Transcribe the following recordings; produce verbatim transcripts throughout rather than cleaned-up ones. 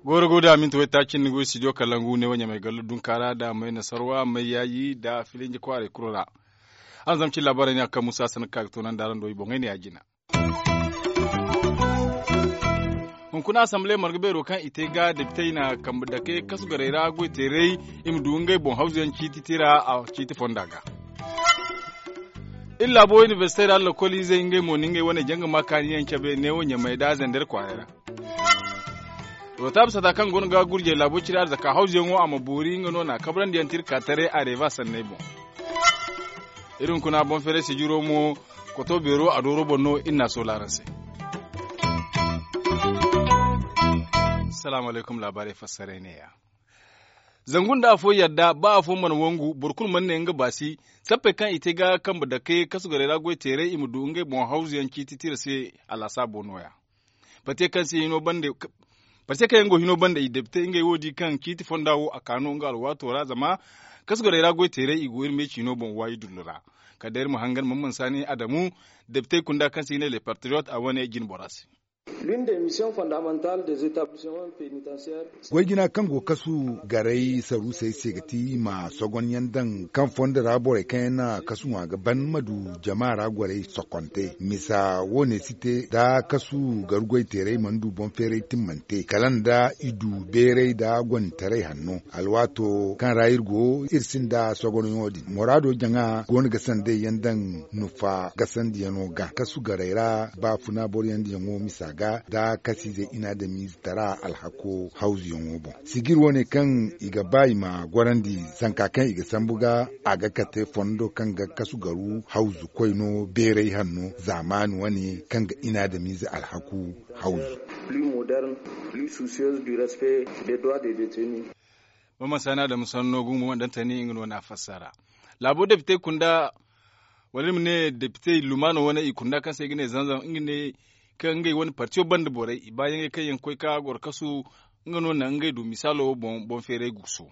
Gooro go da minti waytaaci ni go studio kalangu ne wo ɲamay gallo dunkaara da may nasarwa may yaayi da filinji kwaaray kulu ra. Araŋ zama cin laabaarey ne a kaŋ musa sanka ga toonandi araŋ do i boŋey ne ya jina. Hunkuna asamble marga beero kaŋ i te ga depitey na kambe dake kasu garey ra goy teeray i ma du ngey boŋ hawzuyaŋ ciiti tira a ciiti fonda ga. Iri laabo inibersite ra lokoliizey ngey mo na ngey wane janga ma kaaniyaŋ cabe neewo ɲamay da zender kwaaray ra. Rotaab sata kaŋ go no ga gurjey laabo cire arzaka hawzuyaŋo a ma boori nga no na a kabrandi yaŋ tira ka taray a reeba sanney boŋ. Iri hunkuna boŋ feeray sijiro mo koto beero a dooro boŋ no iri na a soola araŋ se. Salaamu alaykum laabaarey fassaray neeya. Zangu nda afo yadda ba afo mana wangu boro kulu mana ne nga baasi. Sappey kaŋ i te ga kambe dake kasu garey ra goy teeray i ma du ngey boŋ hawzuyaŋ ciiti tira se. Alaasaabo nooya. Pate kaŋ se hino bande pate kaŋ yaŋ go hino bande i depite ngey wo di kaŋ ciiti fonda wo a ka no nga alwaato ra zama kasu garey ra goy teeray i go iri me ciino boŋ waayi dullu ra. Kala day iri ma hangan mamman saani adamu depitey kunda kaŋ se i ga ne le patriyot a wane jine bora se. Goy jina kaŋ go kasu garay saruusey se ga ti i ma sogon yaŋ daŋ kaŋ fondo ra borey kaŋ yaŋ na kasu ŋwa ga ban ma du jama ra gorey sokonte misa wo- ne si te da kasu garu goy teeray mana du boŋ feeray timmante kala nda i du beeray da gonditaray hanno. Alwaato kaŋ ra iri go iri sinda sogonyaŋo din muraado jaŋa go no ga sandey yaŋ daŋ nufa gasandiyaŋo ga kasu garay ra baafuna boroyaŋ diyaŋo misa ga da kasiizey inaadamiize tara alhako hawzuyaŋo boŋ. Sijir wo- ne kaŋ i ga ba i ma gorandi zanka kaŋ i ga sambu ga a ga kate fondo kaŋ ga kasu garu hawzu koyno beeray hanno zaamaani wane kaŋ ga inaadamiize alhaku hawzu. Mama saana da musanno gungu mana daŋ tani nga no na a fassara. Laabo depite kunda wala iri ma ne depite lumaano wane i kunda kaŋ se i ga ne zanzam nga ne kaŋ ngey wane partiyo banda borey i baayaŋey kaŋ yaŋ ga koy ka goro kasu nga no naŋ ngey du misaalo boŋ boŋ feeray guuso.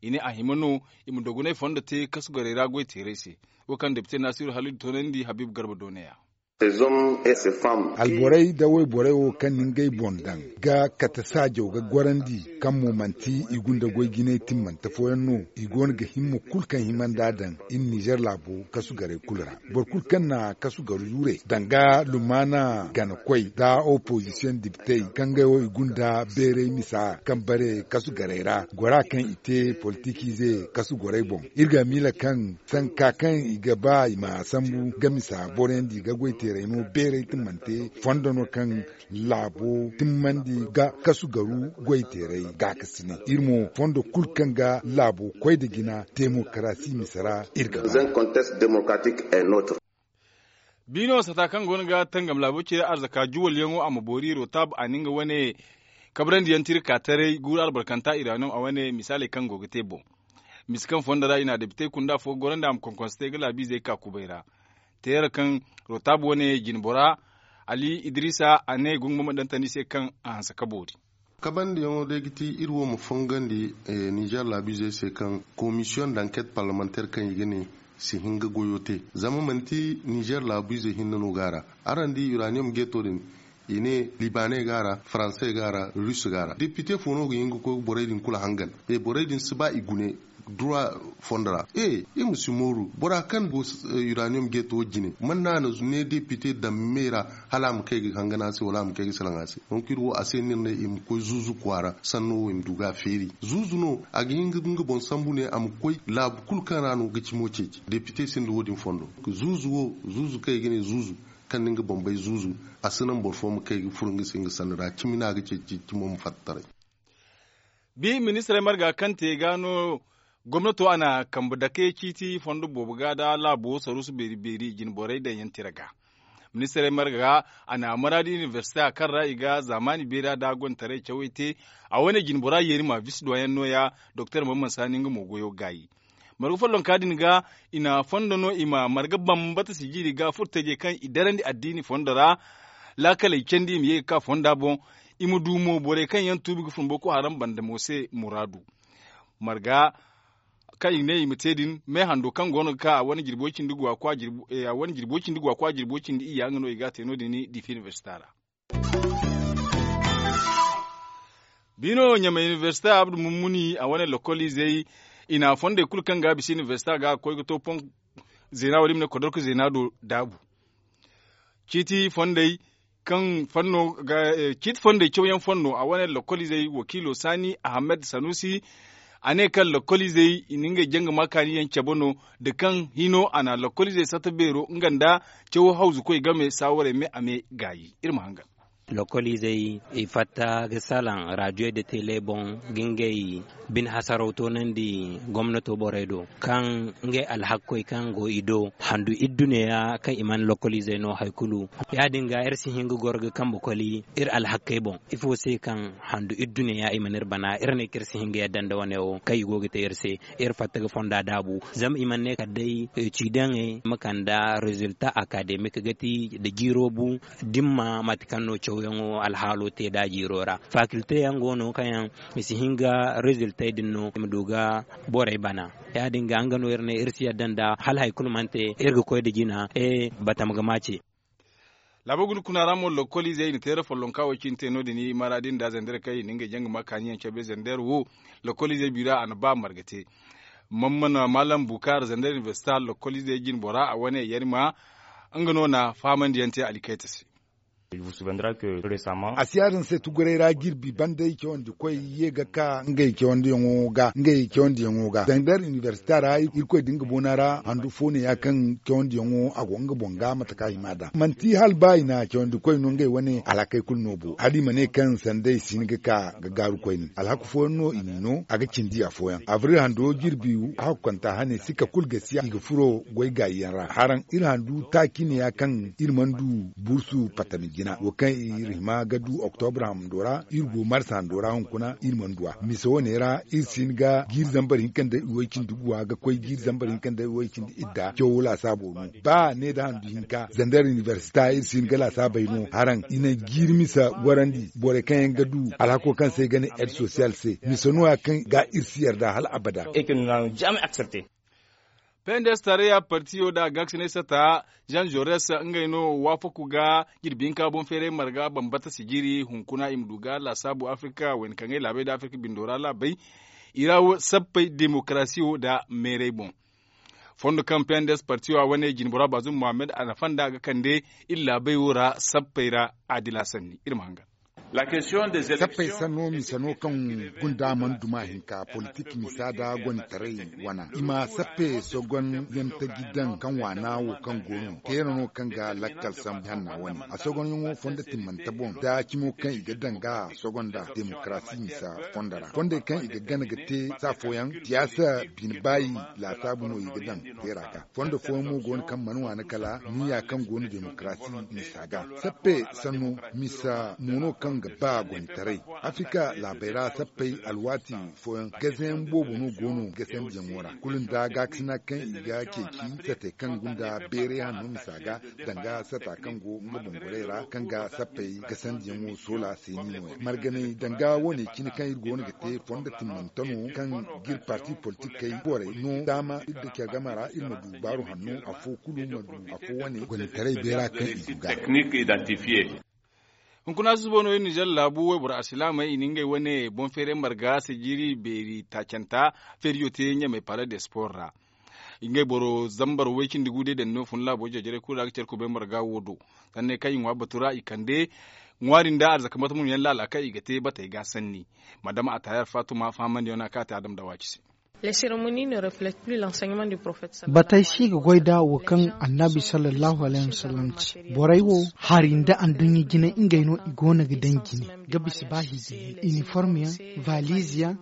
I ne a hima no i ma dogonay fondo te kasu gorey ra goy teeray se. Wo kaŋ depite naasiru halidu toonandi habiibu garba do ne- ya. Alborey da wayborey wo kaŋ na ngey boŋ daŋ ga kate saajaw ga gorandi kaŋ mo manti i gunda goy jinay timmante fooyaŋ no. I go no ga himma kulu kaŋ hima nd'a daŋ iri nizer laabo kasu garey kulu ra. Boro kulu kaŋ na kasu garu zure danga lumaana ganakoy nda opozisiyoŋ dibitey kaŋ ngey wo i gunda beeray misa kaŋ bare kasu garey ra gora kaŋ i te politikiize kasu gorey boŋ. Iri ga a miila kaŋ sanka kaŋ i ga ba i ma sambu ga misa boroyaŋ di ga goy teeray no beeray timmante fondo no kaŋ laabo timmandi ga kasu garu goy teeray gaakasinay iri mo fondo kulu kaŋ ga laabo koy nda jina demokarasi misa ra. Iri ga ba. Biino sata kaŋ go no ga tangam laabo cire arzaka juwalyaŋo a ma boori rotab a na nga wane kabrandi yaŋ tira ka taray guuru albarkanta iraniyom a wane misaaley kaŋ go ga te boŋ. Mise kaŋ fondo ra i na a depite kunda fo gorandi a ma konkonse te ga laabiizey ka kubay ra. Teera kaŋ rotab wane jinbora ali idrisa a ne gungu ma ma daŋ tandi se kaŋ a hanse ka boori. Kabandiyaŋo day ga ti iri wo ma fongandi nizer laabiizey se kaŋ komisiyoŋ d'anket parlemanteer kaŋ i ga ne si hin ga goyo te. Zama manti nizer laabiizey hinne no go a ra. Araŋ di uraniyom geeto din i ne libaaney go a ra, faransey go a ra, rus go a ra depite fo no ga hin ga koy borey din kulu hangan. E borey din si ba i gune dura fondo ra. E iri ma si mooru bora kaŋ go uraniyom geeto jine man no a na ne depite daŋ me ra hala a ma kay ga hangan a se wala a ma kay ga salaŋ a se. Donk iri wo a se no iri ne i ma koy zuuzu kwaara sanno wo i ma du ga a feeri zuuzu no a ga hin ga nga boŋ sambu ne a ma koy laabu kulu kaŋ ra no ga cimo ceeci depite sinda wo- din fondo. Zuuzu wo zuuzu kaŋ i ga ne zuuzu kaŋ na nga boŋ bay zuuzu a si naŋ boro fo ma kay ga furo nga se nga sanni ra cimi no a ga ceeci cimo ma fatta taray. Bi ministirey marga kaŋ te ga no gomnato a na kambe dake ciiti fondo boobo ga nda laabo saruusu beeri beeri jinborey daŋ yaŋ tira ga. Ministirey marga a na maraadi inibersite a kaŋ ra i ga zaamaani beera nda gonda taray cawey te. A wane jinbora yeeri ma bisa duwayaŋ no- ya doktor mamman saani nga mo goyo gaayi. Marga follonka din ga i na fondo no i ma marga bambata sijiiri ga furtajey kaŋ i darandi addiini fondo ra. Laakaley candi i ma ye ga ka fonda boŋ. I ma du mo borey kaŋ yaŋ tuubi ga fun boko haram banda mo se muraadu. Marga Kaŋ i ne i ma te din me hando kaŋ go no ga ka a wane jirbo cindi guwa kwa jirbo cindi iyya nga no i ga a te no- din difi inibersita ra. Biino ɲamay inibersita abdu mummuni a wane lokol izey i na fondey kulu kaŋ ga a bisa inibersita ga a ga koy ga to pon zeena wo- din i ma ne kodorku zeena do daabu. Ciiti fondey kaŋ fanno ga ciiti fondey cawyaŋ fanno a wane lokol izey wakiilo saani ahamed sanusi. A ne kaŋ lokol izey i na ngey janga ma kaani yaŋ cabe no da kaŋ hino a na lokol izey satta beero nga nda caw hawzukoy game saawarey me a me gaayi iri ma hangan. Lokol izey i fatta ga salaŋ raadiyoy nda tele boŋ ga ngey bine hasaraw toonandi gomnato borey do kaŋ ngey alhakkoy kaŋ go i do handu idduneya kaŋ i mana lokol izey no hari kulu. Ya- din ga iri si hin ga goro ga kambe koli iri alhakkey boŋ ifo se kaŋ handu idduneya i mana iri bana iri ne kaŋ iri si hin ga yadda nda wane wo kaŋ i go ga te iri se. Iri fatta ga fonda daabu zama i mana ne kala day ciidaŋey ma kande rezilta akademik ga ti nda jiiro bu dimma mate kaŋ no cawyaŋo alhaalo te nd'a jiiro ra. Fakilte yaŋ go no kaŋ yaŋ i si hin ga reziltey din no i ma du ga borey bana. Ya- din ga nga no iri ne iri si yadda nda hala hari kulu mana te iri ga koy nda jina e batama ga maace. Laabo guna kuna ra mo lokol izey i na teera follonka wo cine te no- din i mara din da zandar kaŋ i na ngey jaŋ ga ma kaani yaŋ cabe zandar wo. Lokol izey biira a na ba marga te. Mammana malam bukar zandar inibersita lokol izey jinbora a wane yarima nga no na fahamandi yaŋ te alikayta se. A si ya- din se tuguray ra jirbi banda i cawandi koy ye ga ka ngey cawandi yaŋo ga zandar inibersita ra irkoy da nga boona ra handu fo ne ya kaŋ cawandi yaŋo a go nga boŋ ga mate kaŋ a hima nd'a manti hala ba i na cawandi koy no ngey wane alhakey kulu no bo hala i ma ne kaŋ sanda i si hin ga ka ga gaaru koyne alhaku fooyaŋ no i n'i no a ga cindi afooyaŋ abril hando jirbi hakkanta hane sika kulu gasiya i ga furo goy gaayi yaŋ ra haraŋ iri handu taaci ne ya kaŋ iri mana du bursu patami jina wo kaŋ iri hima ga du oktobra hando ra iri go marsa hando ra hunkuna iri mana du a misa wane ra iri si hin ga jiiri zambar hinka nda iway cindi guwa ga koy jiiri zambar hinka nda iway cindi idda cawo laasaabo no ba ne nda handu hinka zandar inibersita iri si hin ga laasaabey no haraŋ i na jiiri misa gorandi borey kaŋ yaŋ ga du alhako kaŋ se i ga ne ed sosiyal se misa no- ya kaŋ ga iri si yarda hala abada. Pendes tarayya partiyo nda a gaakasinay sata jean jores ngey no waafaku ga jirbi hinka boŋ feeray marga bambata sijiri hunkuna i ma du ga laasaabu afirka wayna kaŋ ay laabey nda afirka bindo ra laabey i ra sappey demokarasiyo nda meeray boŋ. Fondo kaŋ pendes partiyo a wane jinbora bazum mohammed a nafa nda a ga kande iri laabey wo ra sappey ra adila sanni iri ma hangan. Sappey sanno misa no kaŋ gunda mana duma hinka politik misa nda gonitaray wana i ma sappe sogon yaŋ taji daŋ kaŋ waana wo kaŋ go no teera no kaŋ ga lakkal sambu hanna wane a sogonyaŋo fondo timmante boŋ nda cimo kaŋ i ga daŋ ga sogonda demokarasi misa fondo ra fondey kaŋ i ga gana ga te saafooyaŋ siyaasa bine baayi laasaabu no i ga daŋ teera ga fondo fooyaŋ mo go no kaŋ mana waana kala niya kaŋ go no demokarasi misa ga sappe sanno misa mo no kaŋ ga ba gonitaray afirka laabey ra sappey alwaati fooyaŋ gazayaŋ boobo no go no gasandiyaŋo ra kulu nda gaakasina kaŋ i ga ceeci sate kaŋ gunda beeray hanno misa ga danga sata kaŋ go nga bongorey ra kaŋ ga sappey gasandiyaŋo soola se ni nooya marganay danga wane cine kaŋ iri go no ga te fondo timmante no kaŋ ga iri parti politikey borey no daama iri da care game ra iri ma du baaru hanno afo kulu ma du afo wane gonitaray beera kaŋ i du ga. Hunkuna susubo no iri nizer laabu wayboro alsilaamey i na ngey wane boŋ feeray marga sijiri beeri taacanta feeriyo te ɲamey pala de sport ra. Ngey boro zambar way cindi gu day daŋ no fun laabo jare-jaray kulu ra ga care kubay marga wo do. Sanney kaŋ i ŋwa batu ra i kande ŋwaari nda arzaka mate mun yaŋ laala kaŋ i ga te batey ga sanni. Madama a taayar faatuma fahamandiyaŋ no a kaŋ a te adam da waaci se. Batey si ga goy da wo kaŋ annabi sallallahu alayhi wasallam ci. Borey wo hari nda anduɲɲa jine ngey no i go no ga daŋ jine ga bisa ba hiiji yaŋ iniform yaŋ valiz yaŋ.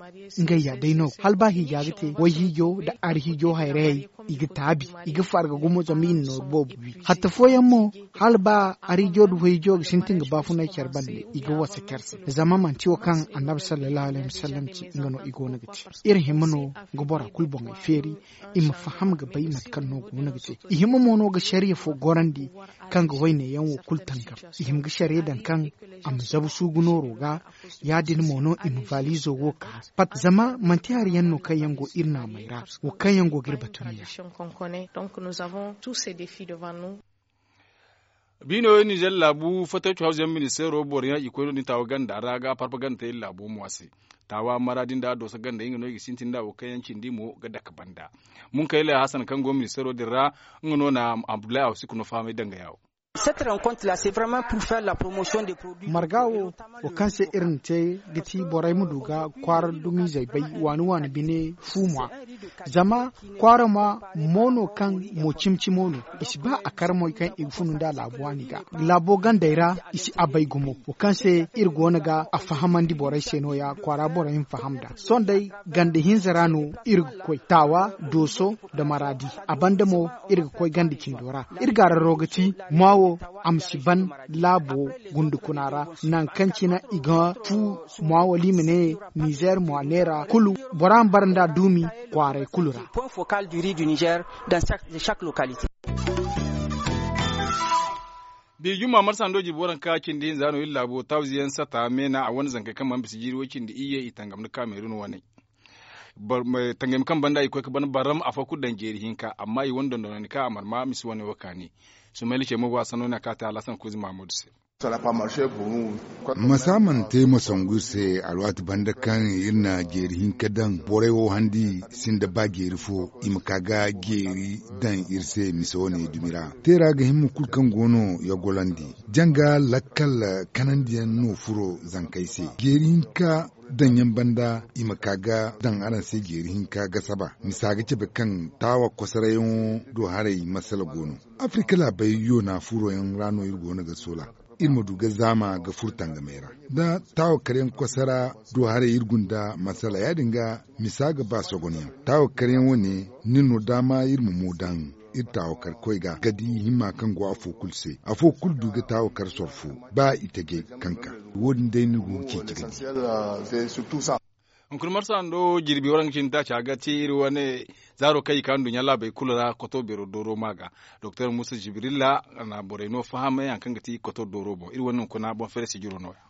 Ngey ya day no hala ba hiija ga te wayhiijo nda arhiijo hayrayey i ga taabi i ga farga gumo zama i na nooru boobo wi hatta fooyaŋ mo hala ba arhiijo nda wayhiijo ga sintin ga baafunay care bande i ga wasa care se zama manti wo kaŋ annabi sallallahu alayhi wasallam ci nga no i go no ga te. Iri hima no ga bora kulu boŋey feeri, i ma faham ga bay mate kaŋ no go no ga te. I hima mo no ga sariya fo gorandi kaŋ ga wayne yaŋ wo kulu tangam. I hima ga sariya daŋ kaŋ a ma zabu suugu nooro ga. Ya- din mo no i ma valizo wo ka pat zama manti hari yaŋ no kaŋ yaŋ go iri naamey ra, wo kaŋ yaŋ go ga iri batu ne ya. Biino nizer laabu fattay cawhawze yaŋ ministeero boro yaŋ i koy no- din taawa ganda ra ga parpa ganda te iri laabu mo a se. Taawa mara din da dooso ganda nga no i ga sintin da wo kaŋ yaŋ cindi mo ga dake banda. Munkayla hasan kaŋ go ministeero din ra, nga no na abdullahi awsiku no fahamay danga yawo. Marga wo, wo kaŋ se iri na te ga ti borey ma du ga kwaara dumizey bay waani waani bine fu ŋwa. Zama kwaara ma mo no kaŋ mo cimi cimo no, i si ba a kar moy kaŋ i ga funu nda laabu waani ga. Laabo gandey ra i si a bay gumo, wo kaŋ se iri go no ga a fahamandi borey se no- ya kwaara borey ma faham nd'a. Sohõ day ganda hinza ra no iri ga koy taawa, dooso, nda maraadi. A banda mo, iri ga koy ganda cindo ra. Iri gaararo ga ti maa wo, a ma si ban laabo gundukuna ra, nangu kaŋ cine i ga fu maa wala i ma ne nizer maa neera kulu, bora ma bara nd'a duumi kwaaray kulu ra. Bi jumma marsa ndo jirbi waranka cindi hinza no iri laabo tawziyaŋ sata meena a wane zankey kaŋ mana bisa jiiri way cindi iyye i tangam nda kaamerun wane. Tangami kaŋ banda i koy ga ban barram afo kulu daŋ jeeri hinka amma i wane dondonandi kaŋ a marma misi wane wo kaani. Sumayla ce mo go a sanno ne a ka te alasan kuuzi mahamudu se. Masa mana te masangu iri se alwaati banda kaŋ iri na jeeri hinka daŋ borey wo handi sinda ba jeeri fo i ma ka ga jeeri daŋ iri se misa wane dumi ra. Teera ga himma kulu kaŋ go no yagolandi janga lakkal kanandiyaŋ no furo zankey se jeeri hinka daŋyaŋ banda i ma ka ga daŋ araŋ se jeeri hinka ga saba misa ga cabe kaŋ taawa kosarayyaŋo do haray masala go no. Afirika laabey yoona furoyaŋ ra no iri go no ga soola iri ma du ga zaama ga furo tangamey ra da taawa karyaŋ kosara do haray iri gunda masala ya- din ga misa ga ba sogonyaŋ taawa karyaŋ wane ni no daama iri ma mo daŋ iri taawa kar koy ga ga di himma kaŋ go afo kulu se afo kulu du ga taawa kar soro fo ba i tajay kaŋ ka wo- din day ni go ga ceeci ga di. Hunkuna marsa ndo jirbi waraŋ ga cindi taaci a ga te iri wane zaaro kaŋ i ka nduɲɲa laabey kulu ra koto beero dooro ma ga. Doktor musa jibrilla na borey no fahamay hari kaŋ ga ti koto dooro boŋ iri wane hunkuna boŋ feere sijiro no- ya.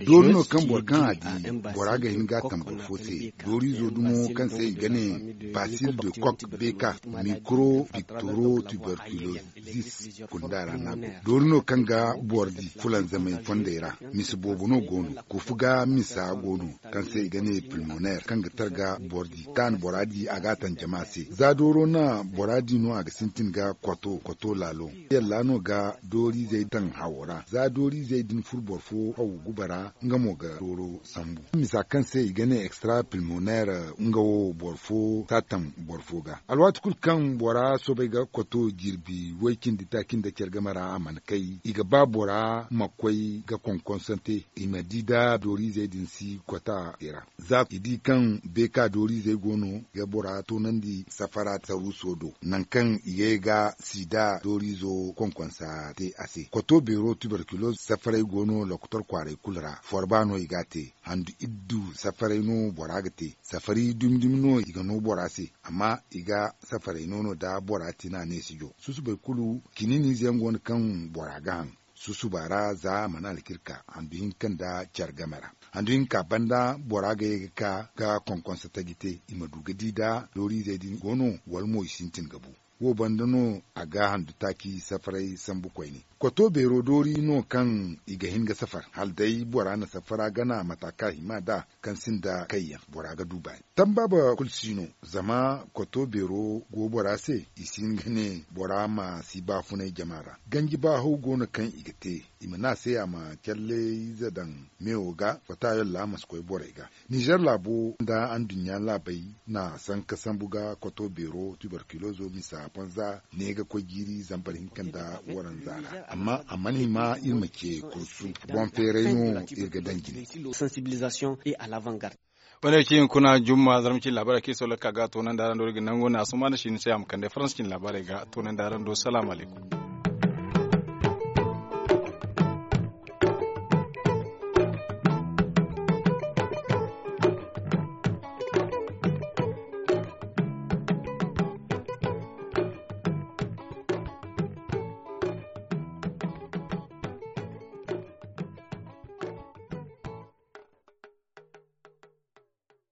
Doori no kaŋ boro kaŋ a di bora ga hin ga a tam boro fo se. Dooriizo dumo kaŋ se i ga ne basil de kok beka mikro piktoro tuberculose zis kunda ra no a go. Doori no kaŋ ga boro di fulanzamay fondey ra. Misa boobo no go no. Kufu ga misa go no kaŋ se i ga ne pilmoner kaŋ ga targa boro di kaŋ a na bora di a ga a taŋ jama se za dooro na bora di no a ga sintin ga kwato kwato laalo. Yalla no ga dooriizey taŋ hawo ra za dooriizey din furo boro fo haw guba ra nga mo ga dooro sambu misa kaŋ se i ga ne extra pilmoner nga wo boro fo si a taŋ boro fo ga. Alwaati kulu kaŋ bora soobay ga kwato jirbi way cindi taaci nda care game ra a mana kay i ga ba bora ma koy ga konkonsante i ma di da dooriizey din si kwata i ra. Za i di kaŋ beeka dooriizey go no ga bora toonandi safara saruuso do nangu kaŋ i ga ye ga sida dooriizo konkonsa te a se kwato beero tuberkuloz safaray go no lokotor kwaaray kulu ra forba no i ga a te. Handu iddu safaray no bora ga te safari dumi dumi no i ga no bora se. Amma i ga safaray no no da bora tina neesijo susubay kulu kiniiniize yaŋ go no kaŋ bora ga haŋ susuba ra za a mana alkirka handu hinka nda care game ra. Handu hinka banda bora ga ye ga ka ga konkonsa taji te i ma du ga di da dooriizey din go no wala mo i sintin ga bu. Wo banda no a ga handu taaci safaray sambu koyne. Kwato beero doori no kaŋ i ga hin ga safar hala day bora na safara gana mata kaŋ a hima nd'a kaŋ sinda kayyaŋ bora ga du baani tambaaba kulu si no. Zama kwato beero go bora se i si hin ga ne bora ma si baafunay jama ra. Ganji baahaw go no kaŋ i ga te i ma ne a se a ma calle ize daŋ meewo ga fata yolla ma si koy borey ga. Nizer laabo nda anduɲɲa laabey na sanka sambu ga kwato beero tuberkulozo misa ponza ne ga koy jiiri zambar hinka nda waranza ra. Amma a mana hima iri ma ce kursu boŋ feeray no iri ga daŋ jine. Wane cine kuna jumma zarma cine laabaarey kaŋ i sohõ lakkal ga toonandi araŋ do iri ga nangu ne a suma nda siini se a ma kande faransa cine laabaarey ga toonandi araŋ do salaamu alaykum.